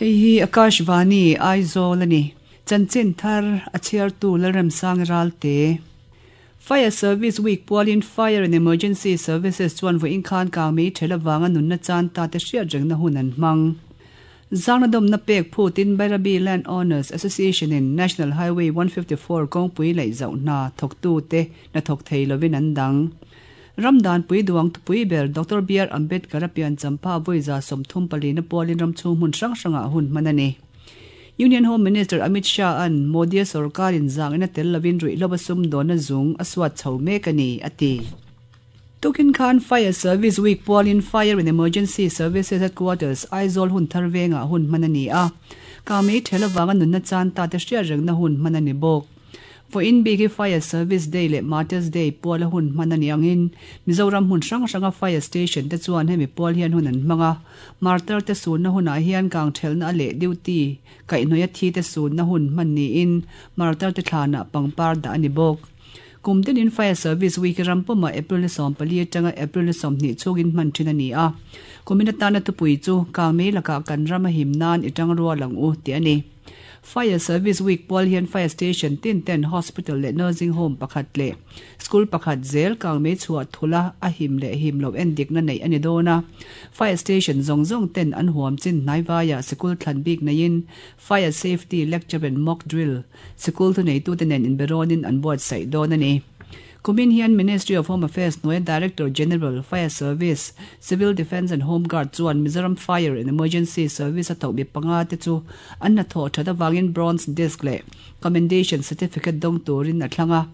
Hei hi Akashvani, Aizawl a ni. Chanchin thar a chhiartu Lalremsang Ralte. Fire Service Week pualin Fire and Emergency Services chuan vawiin khan kangmei ṭhel avanga nunna chan ta te hriat rengna hun an hmang. Zangna dawmna pek phutin Bairabi Land Owners Association in National Highway 154 kawngpui laih zauh hna thawktute hna thawk thei lovin an dang. Ram danpui duang thupui ber Doctor BR Ambedkar a pian champha vawi 34 na pualin ram chhung hmun hrang hrangah hun hman a ni. Union Home Minister Amit Shah-a'n Modi-a sorkarin zangin a tel lovin ruihhlo a sumdawnna zung a suat chho mek a ni, a ti. Tukin khan Fire Service Week pualin Fire and Emergency Services Headquarters, Aizawl hun thar vengah hun hman a ni a. Kangmei thel avanga nunna chan ta te hriat rengna hun hman a ni bawk. Vawiin bik hi Fire Service Day leh Martyrs Day puala hun hman a ni angin Mizoram hmun hrang hranga Fire Station te chuan hemi pual hian hun an hmang a. Martyr te sunna hunah hian kang thelna a leh duty kaihhnawih a thi te sunna hun hman niin Martyr te thlanah pangpar dah a ni bawk. Kum tinin Fire Service Week hi ram pumah April ni 14 atanga April ni 20 chhungin hman thin a ni a. Kumin atana thupui chu Kangmei lakah kan ram a him nan i tang rual ang u tih a ni. Fire Service Week pual hian Fire Station tin ten Hospital leh Nursing Home pakhat leh School pakhat zel kangmei chhuah thula a him leh him loh endikna neih a ni dawn a. Fire Station zawng zawng ten an huam chin hnaivaiah sikul thlan bik neiin Fire Safety Lecture and Mock Drill sikul thuneitute nen inberawnin an buatsaih dawn a ni. Kumin hian Ministry of Home Affairs hnuaia Director General, Fire Service, Civil Defence and Home Guard chuan Mizoram Fire and Emergency Service a thawh mi panga te chu an hnathawh that avangin Bronze Disc leh Commendation Certificate dawng turin a thlang a.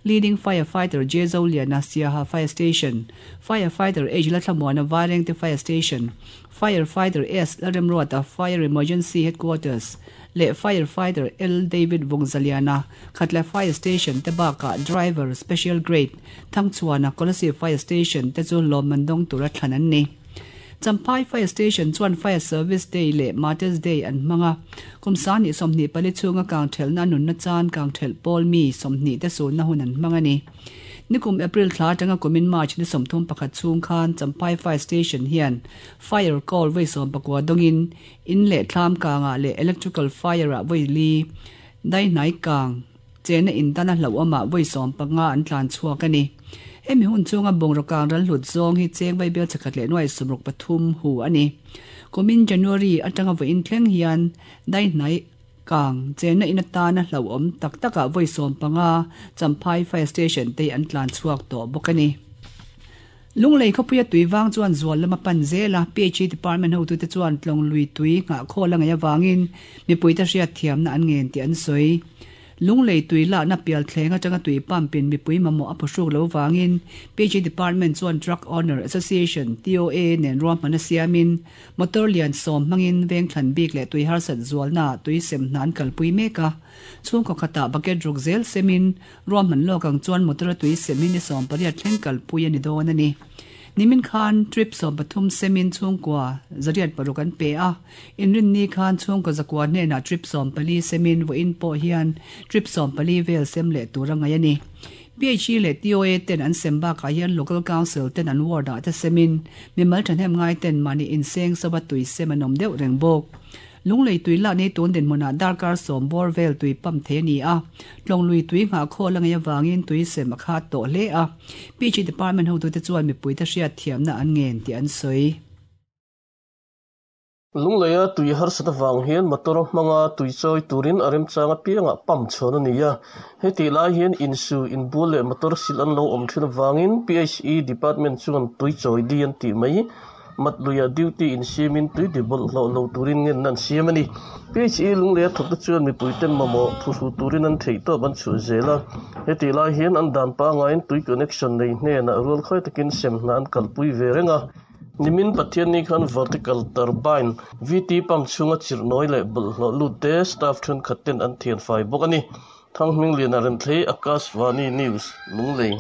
Leading Firefighter J Zoliana, Siaha Fire Station, Firefighter H Lalthlamuana, Vairengte Fire Station, Firefighter S Lalremruata, Fire Emergency Headquarters, leh Firefighter L David Vawngzaliana, Khatla Fire Station te bakah Driver Special Grade Thangchhuana, Kolasib Fire Station te chu lawmman dawng tura thlan an ni. Champhai Fire Station chuan Fire Service Day leh Martyrs Day an hmang a, kum 24 chhunga kangthelhna nunna chan kangthelh pawl mi 20 te sunna hun an hmang a ni. Nikum April thla atanga kumin March ni 31 chhung khan Champhai Fire Station hian Fire Call vawi 19 dawngin In leh thlam kangah leh electrical fire ah vawi li, dai hnai kang, chena in tan a hlauhawmah vawi 15 an tlan chhuak a ni. Hemi hun chhunga bungraw kang ral hlut zawng hi cheng vaibel chakhat leh nuai 63 hu a ni. Kumin January atanga vawiin thleng hian dai hnai kang, chena in atana hlauhawm tak takah vawi 15 Champhai Fire Station te hi an tlan chhuak tawh bawk a ni. Lunglei khawpuia tui vang chuan zual lam a pan zel a, PHE department hotute chuan tlawng lui tui nghahkhawl a ngaih avangin mipuite hriatthiamna an ngen tih an sawi. Lunglei tui lakna pial thleng atanga tui pump in mipui mamawh a phuhruk lo vangin PHE department chuan Truck Owner Association, TOA, nen ruahman a siamin motor lian sawm hmangin veng thlan bik leh tui harsat zualnaah tui sem hna an kalpui mek a. Chhungkaw khatah bucket ruk zel semin Ruahman lawk ang chuan motor a tui sem hi ni 18 thleng kalpui a ni dawn a ni. Nimin khan trip 13 semin chhungkua 806 an pe a, inrinni khan chhungkaw 900 hnenah trip 14 semin vawiin pawh hian trip 14 vel sem leh tur a ngaih a ni. PHE leh TOA ten an sem bakah hian Local Council ten an ward ah te semin mimal thahnem ngai ten mahni inseng sova tui sem an awm deuh reng bawk. Lunglei tui lah nei tun dinhmunah darkar sawm bawr vel tui pump thei a ni a, Tlawnglui tui nghah khawl a ngaih avangin tui sem a khat tawh hle a, PG Department hotute chuan mipuite hriat thiamna an ngen tih an sawi. Lungleia tui harsat avang hian motor hmanga tui chawi turin a remchang apiangah pump chhawn a ni a, hetih lai hian insu, inbual leh motor sil an lo awm thin avangin PHE Department chuan tui chawi di an tih mai. Matluia duty insiamin tui ti bawlhhlawh lo turin ngenna an siam a ni. PHE Lungleia thawkte chuan mipuiten mamawh phuhru turin an theihtawp an chhuah zel a. Hetih lai hian an dan pangaiin tui connection nei hnenah rual khawi takin sem hna an kalpui ve reng a. Nimin Pathianni khan Vertical Turbine, VT, pump chhunga chirhnawi leh bawlhhlawh lut te staff thenkhat ten an thianfai bawk a ni. Thanghmingliana Renthlei, Akashvani News, Lunglei.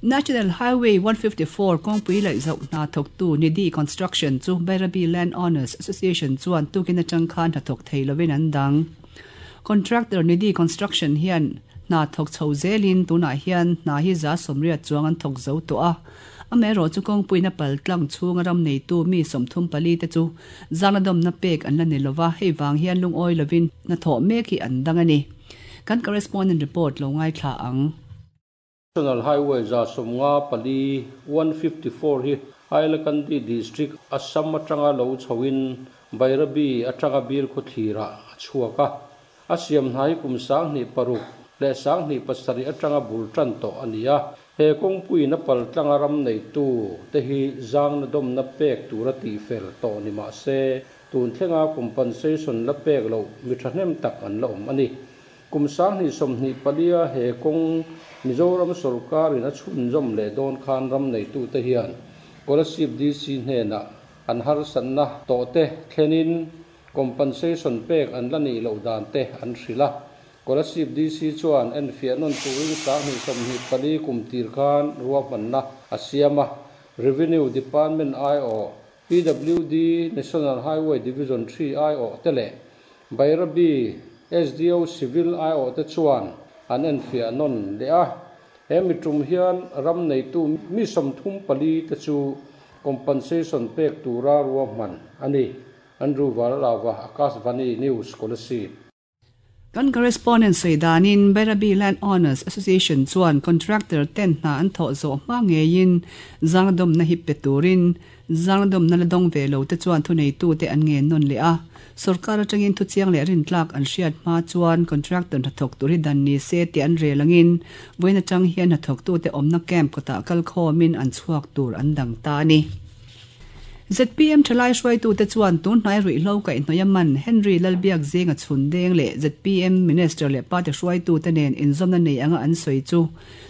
National Highway 154 kawngpui laih zauh hna thawktu Nidhi Construction chu Bairabi Land Owners Association chuan tukin atang khan hnathawk thei lovin an dang. Contractor Nidhi Construction hian Hna thawk chho zelin tunah hian hna hi 80% chuang an thawk zo tawh a. Amaherawhchu kawngpuiin a pal tlang chhunga ram neitu mi 34 te chu zangna dawmna pek an la ni lova, hei vang hian lungawi lovin hnathawh mek hi an dang a ni. Kan correspondent report lo ngaithla ang. National Highway 154, 154 hi Hailakandi District, Assam atanga lo chhoin Bairabi atanga Bilkhawthlirah a chhuak a. A siam hna hi kum 2006 leh 2007 atanga bul tan tawh a ni a. He kawngpuiin a pal tlanga ram neitu te hi zangna dawmna pek tura tihfel tawh ni mah se, tun thlenga compensation la pek loh mi thahnem tak an la awm a ni. Kum 2024-a he kawng Mizoram sawrkarin a chhunzawm leh dawn khan ram neitute hian Kolasib DC hnenah an harsatna tawhte thlenin compensation pek an la nih loh dan te an hrilh a. Kolasib DC chuan enfiah nawn turin 2024 kum tir khan ruahmanna a siam a. Revenue Department aiawh, PWD National Highway Division 3 aiawh te leh Bairabi SDO Civil aiawhte chuan an enfiah nawn leh a. He mi tum hian ram neitu mi 34 te chu compensation pek tura ruahman a ni. Andrew Vanlava, Akashvani News, Kolasib. Kan correspondent sawi danin Bairabi Land Owners Association chuan contractor ten hna an thawh zawh hma ngeiin zangdawmna hi pe turin zangdawmna la dawng ve lo te chuan thuneitute an ngen nawn leh a. Sawrkar atangin thuchiang leh rintlak an hriat hma chuan contractor hnathawk tur hi dan ni se tih an rel angin vawiin atang hian hnathawktute awmna camp kawtah kal khawmin an chhuak tur an dang ta a ni. ZPM thalai hruaitute chuan tun hnai ruihhlo kaihhnawih a man Henry Lalbiak zinga chhun deng leh ZPM Minister leh party hruaitute nen inzawmna nei anga an sawi chu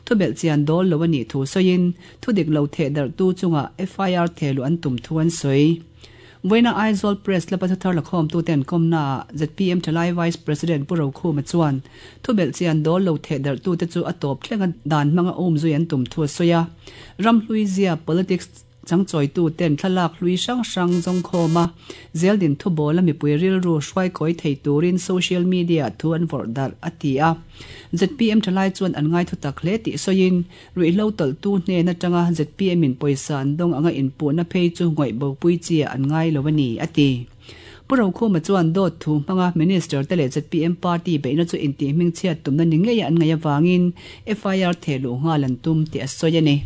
thubelh chian dawl lo a nih thu sawiin thudik lo theh darhtu chunga FIR thehluh an tum thu an sawi. Vawiina Aizawl Press Club-a thuthar lakhawmtute an kawmnaah ZPM thalai Vice President Pu Rokhuma chuan thubelh chian dawl lo theh darhtute chu a tawp thlenga dan hmanga umzui an tum thu a sawi a. Ramhlui zia politics changchawitu ten thlalak hlui hrang hrang zawng khawm a, zeldin thubawla mipui rilru hruaikawi thei turin social media thu an vawrh darh, a ti a. ZPM thalai chuan an ngai thutak hle tih sawiin, ruihhlo tawlhtu hnen atanga ZPM in pawisa an dawng anga inpuhna phei chu ngawih bopui chi ah an ngai lo a ni, a ti. Pu Rokhuma chuan dawt thu hmanga Minister te leh ZPM party beihna chu intihhmingchhiat tumna ni ngei an ngaih avangin FIR thehluh nghal an tum tih a sawi a ni.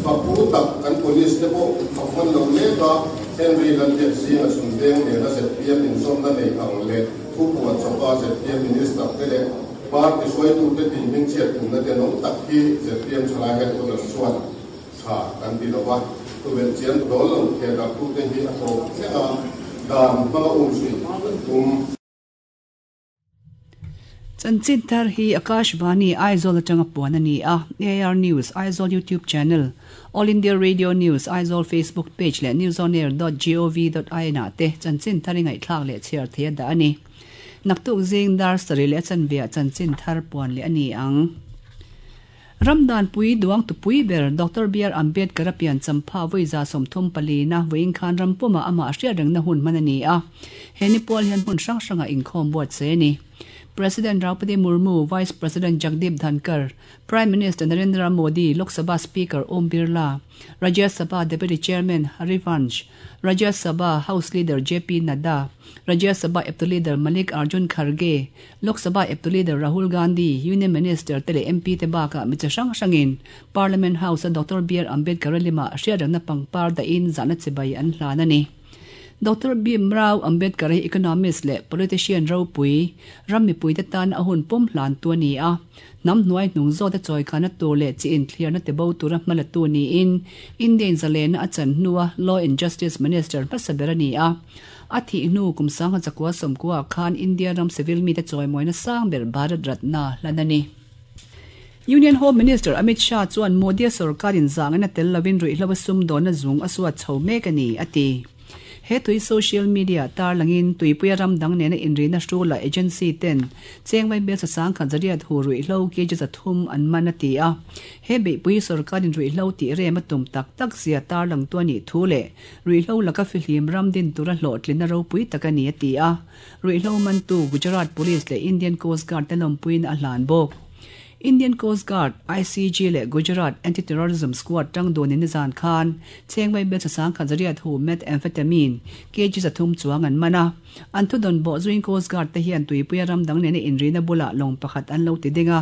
Fakpu tak kan police te pawh fak hman lo mek a, Henry Lalbiak zinga chhun veng nena ZPM inzawmna nei ang leh thupuan chawpa ZPM Minister te leh party hruaitute tih hmingchhiat tumna tenawm tak hi ZPM thalai headquarters chuan tha kan ti lo va, tubelh chian dawl lo thehdarhtute hi a tawp thleng a, dan hmanga umzui kan tum. Chanchin thar hi Akashvani Aizawl atanga puan a ni a, AIR News Aizawl YouTube channel, All India Radio News Aizawl Facebook page leh newsonair.gov.in ah te chanchin thar i ngaihthlak leh chhiar thei a dah a ni. Naktuk zing dar sarih leh a chanve ah chanchin thar puan leh a ni ang. Ramdanpui duangtupui ber Doctor BR Ambedkar a pian champha vawi 34 na vawiin khan ram pumah amah hriat rengna hun hman a ni a. He ni pual hian hmun hrang hrangah inkhawm buatsaih a ni. President Draupadi Murmu, Vice President Jagdeep Dhankhar, Prime Minister Narendra Modi, Lok Sabha Speaker Om Birla, Rajya Sabha Deputy Chairman Harivansh, Rajya Sabha House Leader JP Nadda, Rajya Sabha eptu Leader Malik Arjun Kharge, Lok Sabha eptu Leader Rahul Gandhi, Union Minister te leh MP te bakah mi chi hrang hrangin Parliament House-a Doctor BR Ambedkar a limah hriatrengna pangpar dahin zahna chibai an hlan a ni. Doctor Bhim Rao Ambedkar hi economist leh politician ropui, ram mipuite tan a hun pum hlantu a ni a. Hnam hnuai hnung zawta chawikhana tur leh chi inthlirna tibo tura hmalatu niin Indian zalena a chan hnua Law and Justice Minister hmasa ber a ni a. A thih hnu kum 1990 khan India ram civil mite chawimawina sang ber Bharat Ratna hlan a ni. Union Home Minister Amit Shah chuan Modi-a sorkarin zangin a tel lovin ruihhlo a sumdawnna zung a suat chho mek a ni, a ti. He tui social media tarlangin tuipuia ram dang nena inrina hrula agency ten chengvai bel 10,000 zariat hu ruihhlo kg 300 an man a ti a. He beihpui sorkarin ruihhlo tih rem a tum tak tak zia tarlang tu a nih thu leh ruihhlo laka fihlim ram din tura hlawhtlin a ropui tak a ni a ti a. Ruihhlo mantu Gujarat Police leh Indian Coast Guard te lawmpuiin a hlan bawk. Indian Coast Guard, ICG, leh Gujarat Anti-Terrorism Squad tang dunin nizan khan Chengmai Bel 10,000 zariat hu Methamphetamine kg 300 chuang an man a. An thudawn bawh zuiin Coast Guard te hian tuipuia ram dang nena inrina bulah lawng pakhat an lo ti ding a.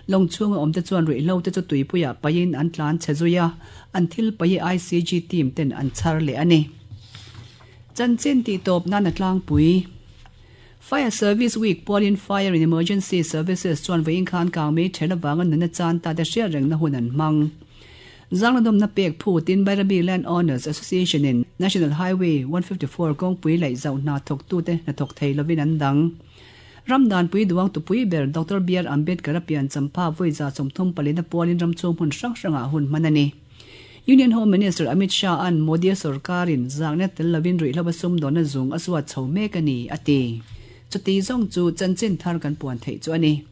Lawng chhunga awmte chuan ruihhlo te chu tuipuiah paihin an tlan chhe zui a, an thil paih hi ICG team ten an chhar leh a ni. Chanchin tihtawp nan a tlangpui. Fire Service Week pualin Fire and Emergency Services chuan vawiin khan kangmei ṭhel avanga nunna chan ta te hriat rengna hun an hmang. Zangladawmna pek phutin Bairabi Land Owners Association in National Highway 154 kawngpui laih zauh hna thawktute hnathawk thei lovin an dang. Ram danpui duang tupui ber Doctor BR Ambedkar a pian champha vawi 34 pualin ram chhung hmun hrang hrangah hun hman a ni. Union Home Minister Amit Shah-a'n Modi-a sorkarin zakna tel lovin ruihhlo a sumdawnna zung a suat chho mek a ni, a ti. Chuti zawng chu chanchin thar kan puan theih chu a ni.